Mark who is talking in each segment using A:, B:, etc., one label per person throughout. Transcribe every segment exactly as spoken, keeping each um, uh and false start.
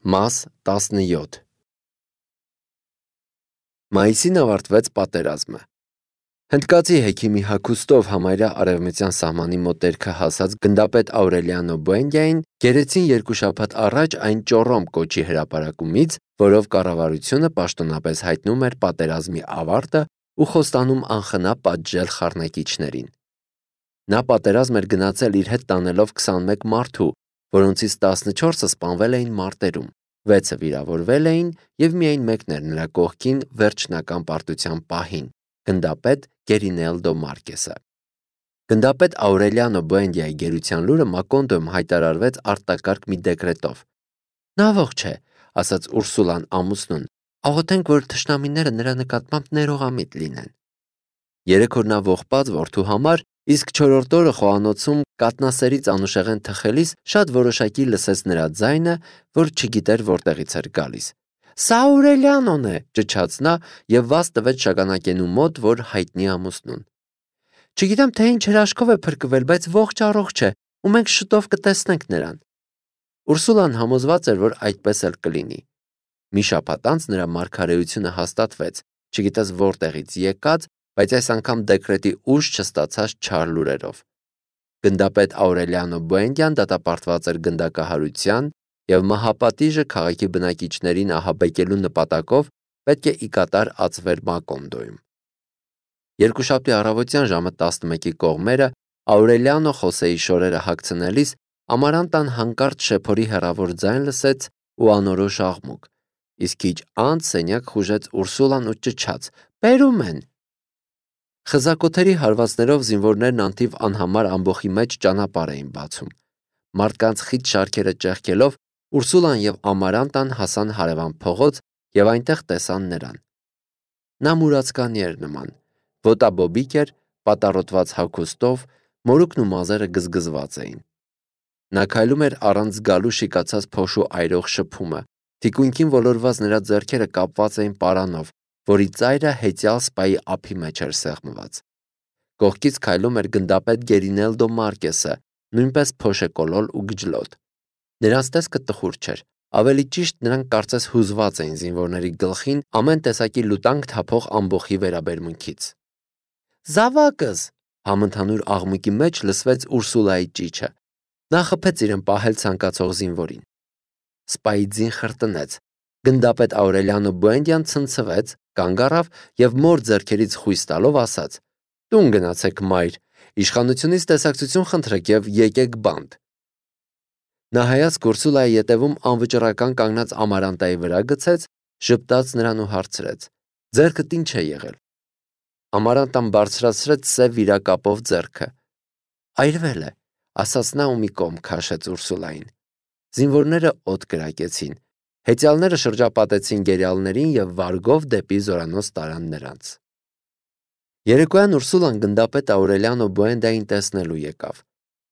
A: Մաս տասնյոթ Մայիսին ավարտվեց պատերազմը։ Հնդկացի հեքիմի հագուստով համարյա արևմտյան սահմանի մոտերքը հասած գնդապետ Աուրելիանո Բուենդիային գերեցին երկու շաբաթ առաջ այն ճոռոմ կոչի հրապարակումից, որով կառավարությունը պաշտոնապես հայտնում էր պատերազմի ավարտը ու խոստանում անխնա պատժել խառնակիչներին։ Նա պատերազմ էր գնացել իր հետ տանելով քսանմեկ մարդու, որոնցից տասնչորսը սպանվել էին մարտերում, վեցը վիրավորվել էին և միայն մեկն էր նրա կողքին վերջնական պարտության պահին՝ գնդապետ Գերինելդո Մարկեսը։ Գնդապետ Աուրելիանո Բուենդիայի գերության լուրը Մակոնդոյում հայտարարվեց արտակարգ մի դեկրետով։ «Նա ողջ է», ասաց Ուրսուլան ամուսնուն, «աղոթենք, որ թշնամիները նրա նկատմամբ ներողամիտ լինեն»։ Երեք օր նա ողբաց որդու համար, իսկ չորրորդ օրը խոհանոցում կաթնասերից անուշեղեն թխելիս շատ որոշակի լսեց նրա ձայնը, որ չգիտեր որտեղից էր գալիս։ «Սա Աուրելիանոն է», ճչաց նա և վազ տվեց շագանակենու մոտ, որ հայտնի ամուսնուն։ «Չգիտեմ, թե ինչ հրաշքով է փրկվել, բայց ողջ առողջ է, ու մենք շուտով կտեսնենք նրան»։ Ուրսուլան համոզված էր, որ այդպես էլ կլինի։ Մի շաբաթ անց նրա մարգարեությունը հաստատվեց, չգիտես որտեղից եկած, բայց այս անգամ դեկրետի ուժ չստացած չար լուրերով։ Գնդապետ Աուրելիանո Բուենդիան դատապարտված էր գնդակահարության և մահապատիժը քաղաքի բնակիչներին ահաբեկելու նպատակով պետք է ի կատար ածվեր Մակոնդոյում։ Երկուշաբթի առավոտյան ժամը տասնմեկի կողմերը Աուրելիանո Խոսեի շորերը հագցնելիս Ամարանտան հանկարծ շեփորի հեռավոր ձայն լսեց ու անորոշ աղմուկ, իսկ քիչ անց սենյակ խուժեց Ուրսուլան ու ճչաց. «Բերում են»։ Խզակոթերի հարվածներով զինվորներն անթիվ անհամար ամբոխի մեջ ճանապարհ էին բացում։ Մարդկանց խիտ շարքերը ճեղքելով Ուրսուլան և Ամարանտան հասան հարևան փողոց և այնտեղ տեսան նրան։ Նա մուրացկանի էր նման, ոտաբոբիկ էր, պատառոտված հագուստով, մորուքն ու մազերը գզգզված էին։ Նա քայլում էր առանց զգալու շիկացած փոշու այրող շփումը, թիկունքին ոլորված նրա ձեռքերը կապված էին պարանով, որի ծայրը հեծյալ սպայի ափի մեջ էր սեղմված։ Կողքից քայլում էր գնդապետ Գերինելդո Մարկեսը, նույնպես փոշեկոլոլ ու գջլոտ։ Նրանց տեսքը տխուր չէր, ավելի ճիշտ նրանք կարծես հուզված էին զինվորների գլխին ամեն տեսակի լուտանք թափող ամբոխի վերաբերմունքից։ «Զավակս», համընդհանուր աղմուկի մեջ լսվեց Ուրսուլայի ճիչը։ Նա խփեց իրեն պահել ցանկացող զինվորին։ Սպայի ձին խրտնեց։ Գնդապետ Աուրելիանո Բուենդիան ցնցվեց, կանգ առավ և մոր ձեռքերից խույս տալով ասաց. «Տուն գնացեք, մայր, իշխանությունից տեսակցություն խնդրեք և եկեք բանտ»։ Նա հայացք Ուրսուլայի ետևում անվճռական կանգնած Ամարանտայի վրա գցեց, ժպտաց նրան ու հարցրեց. «Ձեռքդ ի՞նչ է եղել»։ Ամարանտան բարձրացրեց սև վիրակապով ձեռքը։ «Այրվել է», ասաց նա ու մի կողմ քաշեց Ուրսուլային։ Զինվորները օդ կրակեցին։ Հեծյալները շրջապատեցին գերիալներին և վարգով դեպի զորանոց տարան նրանց։ Երեկոյան Ուրսուլան գնդապետ Աուրելիանո Բուենդիային տեսնելու եկավ։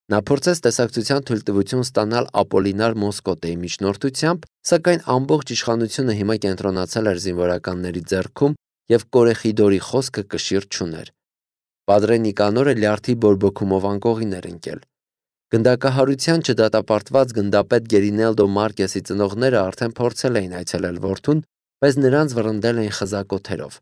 A: Նա փորձեց տեսակցության թույլտվություն ստանալ Ապոլինար Մոսկոտեի միջնորդությամբ, սակայն ամբողջ իշխանությունը հիմա կենտրոնացել էր զինվորականների ձեռքում և Կորեխիդորի խոսքը կշիռ չուներ։ Պատրե Նիկանորը լյարդի բորբոքումով անկողին էր ընկել։ Գնդակահարության չդատապարտված գնդապետ Գերինելդո Մարկեսի ծնողները արդեն փորձել էին այցելել որդուն, բայց նրանց վռնդել էին խզակոթերով։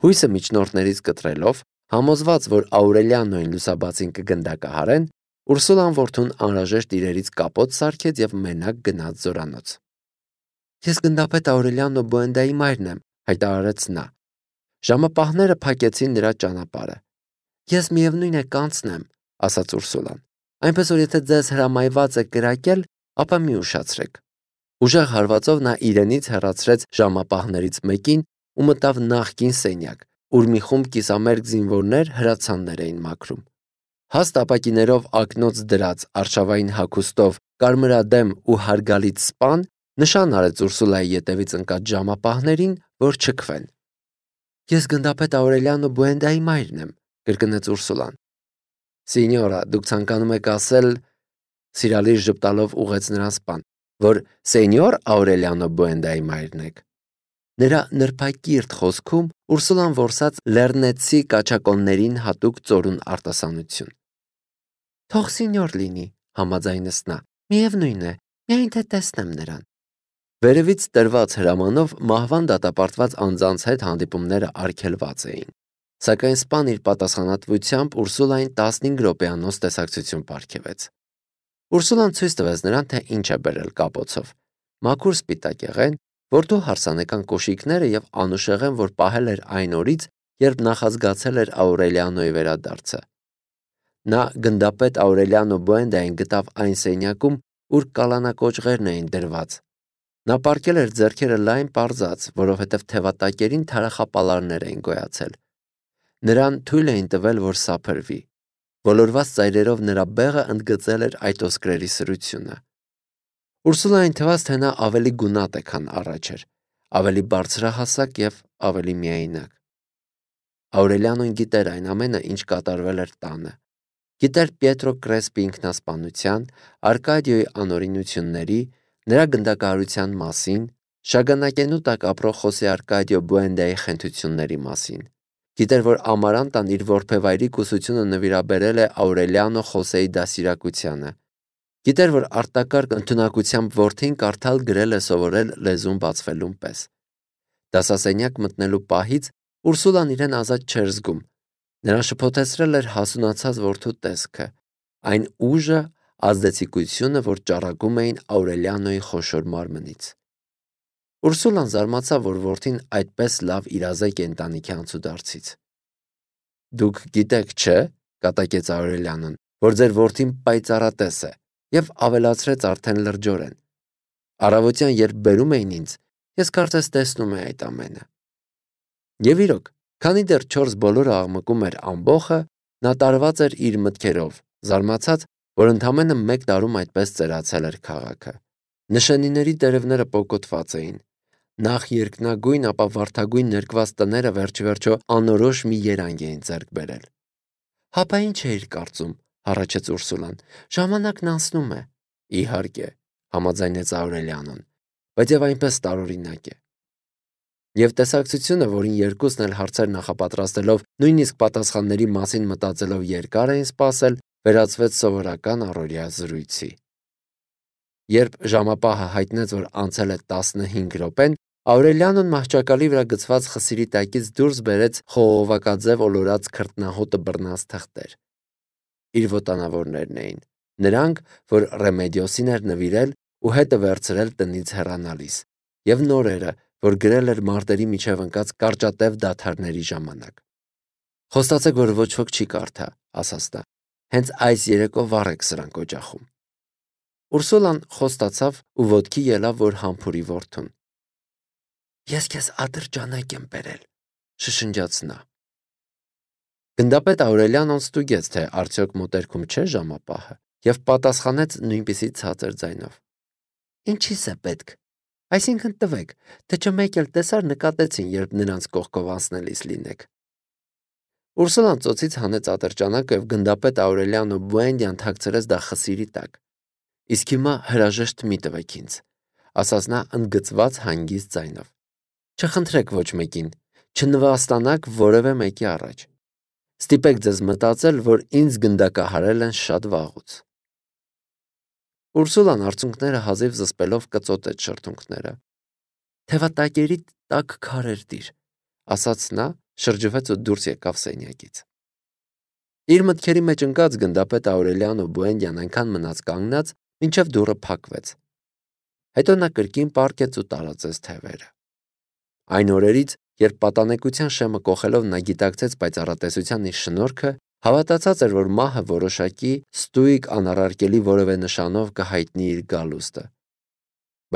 A: Հույսը միջնորդներից կտրելով, համոզված, որ Աուրելիանոյին լուսաբացին կգնդակահարեն, Ուրսուլան որդուն անհրաժեշտ իրերից կապոտ սարքեց և մենակ գնաց զորանոց։ «Ես գնդապետ Աուրելիանո Բուենդիայի մայրն եմ», հայտարարեց նա։ Ժամապահները փակեցին նրա ճանապարհը։ «Ես միևնույն է կանցնեմ», ասաց Ուրսուլան։ «Այնպես որ եթե ձեզ հրամայված է կրակել, ապա մի ուշացրեք»։ Ուժեղ հարվածով նա իրենից հեռացրեց ժամապահներից մեկին ու մտավ նախկին սենյակ, ուր մի խումբ կիսամերկ զինվորներ հրացաններ էին մաքրում։ Հաստ ապակիներով ակնոց դրած, արշավային հագուստով, կարմրադեմ ու հարգալից սպան նշան արեց Ուրսուլայի ետևից ընկած ժամապահներին, որ չքվեն։ «Ես գնդապետ Աուրելիանո Բուենդիայի մայրն եմ», կրկնեց Ուրսուլան։ «Սինյորա, դուք ցանկանում եք ասել», սիրալիր ժպտալով ուղղեց նրան սպան, «որ սենյոր Աուրելիանո Բուենդիայի մայրն եք»։ Նրա նրբակիրթ խոսքում Ուրսուլան որսաց լեռնեցցի կաչակոններին հատուկ ծորուն արտասանություն։ «Թող սինյոր լինի», համաձայնեց նա, «միևնույն է, միայն թե տեսնեմ նրան»։ Վերևից տրված հրամանով մահվան դատապարտված անձանց հետ հանդիպումները արգելված էին, սակայն սպան իր պատասխանատվությամբ Ուրսուլային տասնհինգ րոպեանոց տեսակցություն պարգևեց։ Ուրսուլան ցույց տվեց նրան, թե ինչ է բերել կապոցով՝ մաքուր սպիտակ եղեն, որդու հարսանեկան կոշիկները եւ անուշեղեն, որ պահել էր այն օրից, երբ նախազգացել էր Աուրելիանոյի վերադարձը։ Նա գնդապետ Աուրելիանո Բուենդիային գտավ այն սենյակում, ուր կալանակոճղերն էին դրված։ Նա պառկել էր ձեռքերը լայն պարզած, որովհետև թևատակերին թարախապալարներ էին գոյացել։ Նրան թույլ էին տվել, որ սափրվի։ Ոլորված ծայրերով նրա բեղը ընդգծել էր այդ ոսկրերի սրությունը։ Ուրսուլային թվաց, թե նա ավելի գունատ է, քան առաջ էր, ավելի բարձրահասակ եւ ավելի միայնակ։ Աուրելիանոն գիտեր այն ամենը, ինչ կատարվել էր տանը։ Գիտեր Պիետրո Կրեսպի ինքնասպանության, Արկադիոյի անօրինությունների, նրա գնդակահարության մասին, շագանակենու տակ ապրող Խոսե Արկադիո Բուենդիայի խենթությունների մասին։ Գիտեր, որ Ամարանտան իր որբևայրի կուսությունը նվիրաբերել է Աուրելիանո Խոսեի դասիրակությանը։ Գիտեր, որ արտակարգ ընդունակությամբ որդին կարդալ գրել է սովորել լեզուն բացվելուն պես։ Դասասենյակ մտնելու պահից Ուրսուլան իրեն ազատ չէր զգում։ Նրան շփոթեցրել էր հասունացած որդու տեսքը, այն ուժը, ազդեցիկությունը, որ ճառագում էին Աուրելիանոյի խոշոր մարմնից։ Ուրսուլան զարմացավ, որ որդին այդպես լավ իրազեկ է ընտանիքի անցուդարձից։ Դուք գիտեք, չէ՞, կատակեց Աուրելիանոն, որ ձեր որդին պայծառատես է, եւ ավելացրեց արդեն լրջորեն։ Առավոտյան, երբ բերում էին ինձ, ես կարծես տեսնում էի այդ ամենը։ Եվ իրոք, քանի դեռ չորս բոլորը աղմկում էր ամբոխը, նա տարված էր իր մտքերով, զարմացած, որ ընդամենը մեկ տարում այդպես ծերացել էր քաղաքը։ Նշանիների տերևները պոկոտված էին։ Նախ երկնագույն, ապա վարդագույն ներկված տները վերջիվերջո անորոշ մի երանգ էին ձեռք բերել։ Հապա ինչ էիր կարծում, հառաչեց Ուրսուլան։ Ժամանակն անցնում է։ Իհարկե, համաձայնեց Աուրելիանոն, բայց եւ այնպես տարօրինակ է։ Եվ տեսակցությունը, որին երկուսն էլ հարցեր նախապատրաստելով, նույնիսկ պատասխանների մասին մտածելով երկար էին սպասել, վերածվեց սովորական առօրյա զրույցի։ Երբ ժամապահը հայտնեց, որ անցել է տասնհինգ րոպեն, Աուրելիանոն մահճակալի վրա գցված խսիրի տակից դուրս բերեց խողովակաձև ոլորած քրտնահոտը բռնած թղթեր։ Իր ոտանավորներն էին, նրանք, որ Ռեմեդիոսին էր նվիրել ու հետը վերցրել տնից հեռանալիս, եւ նորերը, որ գրել էր մարտերի միջև ընկած կարճատև դադարների ժամանակ։ Խոստացեք, որ ոչ ոք չի կարդա, ասաց նա։ Հենց այս երեկո վառ եք սրանք օջախում։ Ուրսուլան խոստացավ ու ոտքի ելավ, որ համբուրի որդուն։ Ես քեզ ատրճանակ եմ բերել, շշնջաց նա։ Գնդապետ Աուրելիանոն ստուգեց, թե արդյոք մոտերքում չէ ժամապահը, եւ պատասխանեց նույնպիսի ցածր ձայնով։ Ինչի՞ս է պետք։ Այսինքն տվեք, թե չէ մեկ էլ տեսար նկատեցին, երբ նրանց կողքով անցնելիս լինեք։ Ուրսուլան ծոցից հանեց ատրճանակը եւ գնդապետ Աուրելիանո Բուենդիան թաքցրեց դա խսիրի տակ։ Իսկ հիմա հրաժեշտ մի տվեք ինձ, ասաց նա ընդգծված հանգիստ ձայնով։ Չխնդրեք ոչ մեկին, չնվաստանաք որևէ մեկի առաջ։ Ստիպեք ձեզ մտածել, որ ինձ գնդակահարել են շատ վաղուց։ Ուրսուլան արցունքները հազիվ զսպելով կծոտեց շրթունքները։ Թևատակերի տակ քարեր դիր, ասաց նա, շրջվեց ու դուրս եկավ սենյակից։ Իր մտքերի մեջ ընկած գնդապետ Աուրելիանո Բուենդիան այնքան մնաց կանգնած, մինչև դուռը փակվեց։ Հետո նա կրկին պառկեց ու տարածեց թևերը։ Այն օրերից, երբ պատանեկության շեմը կոխելով նա գիտակցեց պայծառատեսության իր շնորհքը, հավատացած էր, որ մահը որոշակի ստույգ անառարկելի որևէ նշանով կհայտնի իր գալուստը։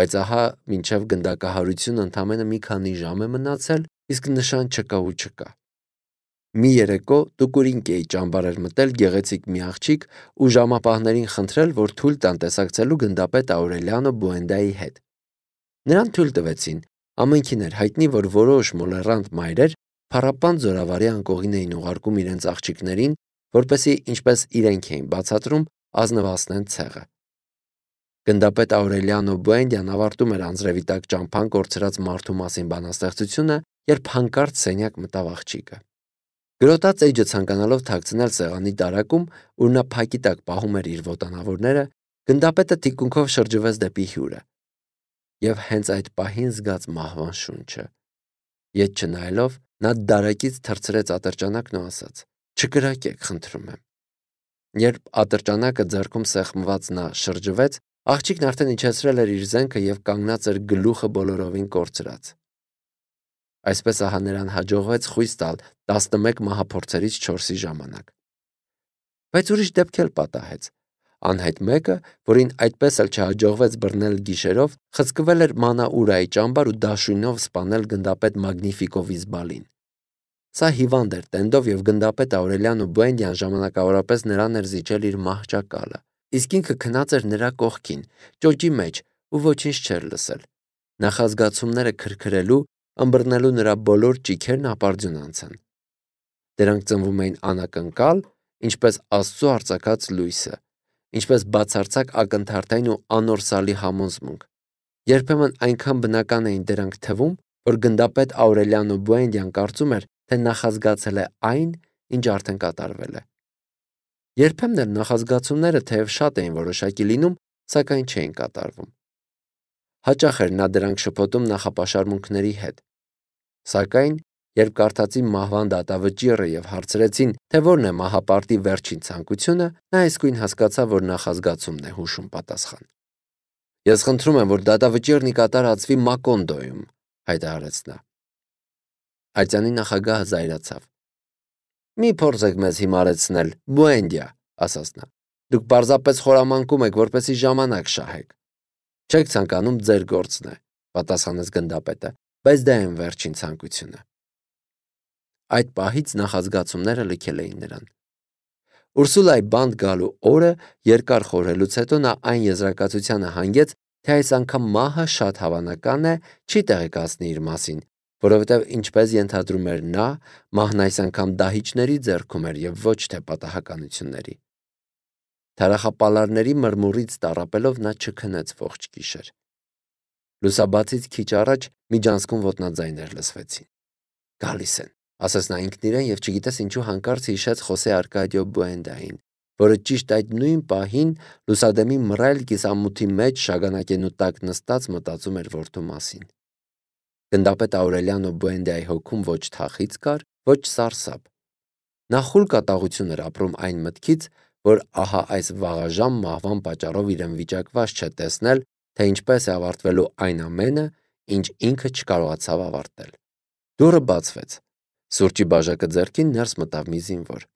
A: Բայց ահա մինչև գնդակահարությունը ընդամենը մի քանի ժամ է մնացել, իսկ նշան չկա ու չկա։ Մի երեկո Տուկուրինկեի ճամբար էր մտել գեղեցիկ մի աղջիկ ու ժամապահներին խնդրել, որ թույլ տան տեսակցելու գնդապետ Աուրելիանո Բուենդիայի հետ։ Նրան թույլ տվեցին, ամենքին էր հայտնի, որ որոշ մոլեռանդ մայրեր փառապան զորավարի անկողին էին ուղարկում իրենց աղջիկներին, որպեսզի ինչպես իրենք էին բացատրում, ազնվացնեն ցեղը։ Գնդապետ Աուրելիանո Բուենդիան ավարտում էր անձրևի տակ ճամփան կորցրած մարդու մասին բանաստեղծությունը, երբ հանկարծ սենյակ մտավ աղջիկը։ Գրոտած էջը ցանկանալով թաքցնել սեղանի տարակում, ուր նա փակի տակ պահում էր իր ոտանավորները, գնդապետը թիկունքով շրջվեց դեպի հյուրը։ եւ հենց այդ պահին զգաց մահվան շունչը։ Ետ չնայելով, նա դարակից թռցրեց ատրճանակն ու ասաց. «Չկրակեք, խնդրում եմ»։ Երբ ատրճանակը ձեռքում սեղմված նա շրջվեց, աղջիկն արդեն իջեցրել էր իր զենքը եւ կանգնած էր գլուխը բոլորովին կորցրած։ Այսպես ահա նրան հաջողվեց խույս տալ տասնմեկ մահափորձերից չորսի ժամանակ։ Բայց ուրիշ դեպք էլ պատահեց։ Անհայտ մեկը, որին այդպես էլ չհաջողվեց բռնել գիշերով, խցկվել էր Մանաուրայի ճամբար ու դաշույնով սպանել գնդապետ Մագնիֆիկո Վիզբալին։ Սա հիվանդ էր տենդով եւ գնդապետ Աուրելիանո Բուենդիան ժամանակավորապես նրան էր զիջել իր մահճակալը, իսկ ինքը քնած էր նրա կողքին, ճոճի մեջ ու ոչինչ չէր լսել։ Նախազգացումները քրքրելու, ըմբռնելու նրա բոլոր ճիգերն ապարդյուն անցան։ Դրանք ծնվում էին անակնկալ, ինչպես Աստծո արձակած լույսը, ինչպես բացարձակ ակնթարթային ու անորսալի համոզմունք։ Երբեմն այնքան բնական էին դրանք թվում, որ գնդապետ Աուրելիանո Բուենդիան կարծում էր, թե նախազգացել է այն, ինչ արդեն կատարվել է։ Երբեմն էլ նախազգացումները թեև շատ էին որոշակի լինում, սակայն չէին կատարվում։ Հաճախ էր նա դրանք շփոթում նախապաշարմունքների հետ։ Սակայն, երբ կարդացի մահվան դատավճիռը եւ հարցրեցին, թե որն է մահապարտի վերջին ցանկությունը, նա իսկույն հասկացավ, որ նախազգացումն է հուշում պատասխան։ Ես խնդրում եմ, որ դատավճիռն ի կատարածվի Մակոնդոյում, հայտարարեց նա։ Ատյանի նախագահը զայրացավ։ Մի փորձեք մեզ հիմարեցնել, Բուենդիա, ասաց նա։ Դուք պարզապես խորամանկում եք, որպեսզի ժամանակ շահեք։ Չեք ցանկանում, ձեր գործն է, պատասխանեց գնդապետը, բայց դա այն վերջին ցանկությունը։ Այդ պահից նախազգացումները լքել էին նրան։ Ուրսուլայի բանտ գալու օրը երկար խորհելուց հետո նա այն եզրակացությանը հանգեց, թե այս անգամ մահը շատ հավանական է, չի տեղեկացնի իր մասին, որովհետև ինչպես ենթադրում էր նա, մահն այս անգամ դահիճների ձեռքում էր եւ ոչ թե պատահականությունների։ Թարախապալարների մրմուրից տառապելով նա չքնեց ողջ գիշեր։ Լուսաբացից քիչ առաջ միջանցքում ոտնաձայներ լսվեցին։ Գալիս են, ասաց նա ինքն իրեն եւ չգիտես ինչու հանկարծ հիշեց Խոսե Արկադիո Բուենդային, որը ճիշտ այդ նույն պահին լուսադեմի մռայլ կիսամութի մեջ շագանակենու տակ նստած մտածում էր որդու մասին։ Գնդապետ Աուրելիանո Բուենդիայի հոգում ոչ թախից կար, ոչ սարսափ։ Նա խուլ կատաղություն էր ապրում այն մտքից, որ ահա այս վաղաժամ մահվան պատճառով իրեն վիճակված չէ տեսնել, թե ինչպես է ավարտվելու այն ամենը, ինչ ինքը չկարողացավ ավարտել։ Դուռը բացվեց։ Սուրճի բաժակը ձեռքին ներս մտավ մի զինվոր։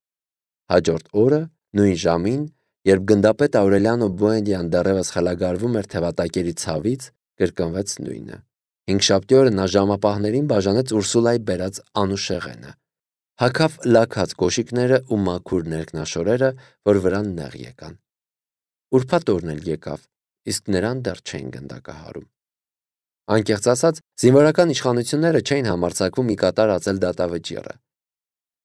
A: Հաջորդ օրը, նույն ժամին, երբ գնդապետ Աուրելիանո Բուենդիան դեռևս խելագարվում էր թևատակերի ցավից, կրկնվեց նույնը։ Հինգշաբթի օրը նա ժամապահներին բաժանեց Ուրսուլայի բերած անուշեղենը։ Հագավ լաքած կոշիկները ու մաքուր ներքնաշորերը, որ վրան նեղ եկան։ Ուրբաթ օրն էլ եկավ, իսկ նրան դեռ չէին գնդակահարում։ Անկեղծ ասած, զինվորական իշխանությունները չէին համարձակվում ի կատար ածել դատավճիռը։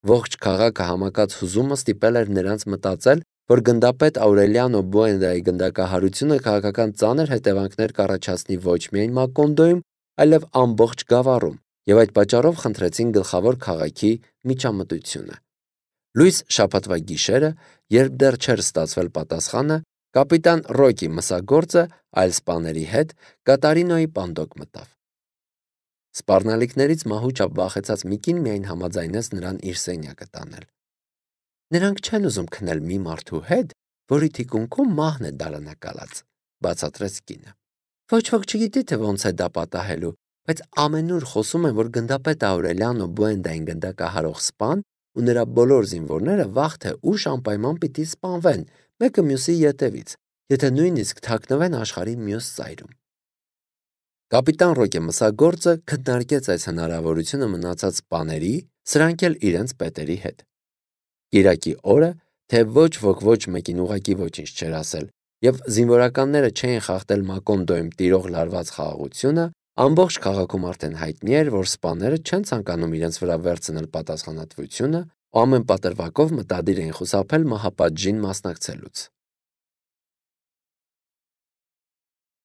A: Ողջ քաղաքը համակած հուզումը ստիպել էր նրանց մտածել, որ գնդապետ Աուրելիանո Բուենդիայի գնդակահարությունը քաղաքական ծանր հետևանքներ կառաջացնի ոչ միայն Մակոնդոյում, այլև ամբողջ Գավառում, եւ այդ պատճառով խնդրեցին գլխավոր քաղաքի միջամտությունը։ Լույս շաբաթվա գիշերը, երբ դեռ չէր ստացվել պատասխանը, կապիտան Ռոկի մսագործը այլ սպաների հետ Կատարինոյի պանդոկ մտավ։ Սպառնալիքներից մահուճապ վախեցած մի կին միայն համաձայնեց նրան իր սենյակը տանել։ Նրանք չեն ուզում քնել մի մարդու հետ, որի թիկունքում մահն է դարանակալած, բացատրեց կինը։ Ոչ ոք չգիտի, թե ոնց է դա պատահելու, բայց ամենուր խոսում են, որ գնդապետ Աուրելիանո Բուենդային գնդակահարող սպան ու նրա բոլոր զինվորները վաղ թե ուշ անպայման պիտի սպանվեն, մեկը մյուսի ետևից, եթե նույնիսկ թաքնվեն աշխարհի մյուս ծայրում։ Կապիտան Ռոկե մսագործը քննարկեց այս հնարավորությունը մնացած սպաների, սրանք էլ իրենց պետերի հետ։ Կիրակի օրը, թե ոչ ոք ոչ մեկին ուղակի ոչինչ չէր ասել, եւ զինվորականները չէին խախտել Մակոնդոյում տիրող լարված խաղաղությունը, ամբողջ քաղաքում արդեն հայտնի էր, որ սպաները չեն ցանկանում իրենց վրա վերցնել պատասխանատվությունը, ու ամեն պատրվակով մտադիր էին խուսափել մահապատժին մասնակցելուց։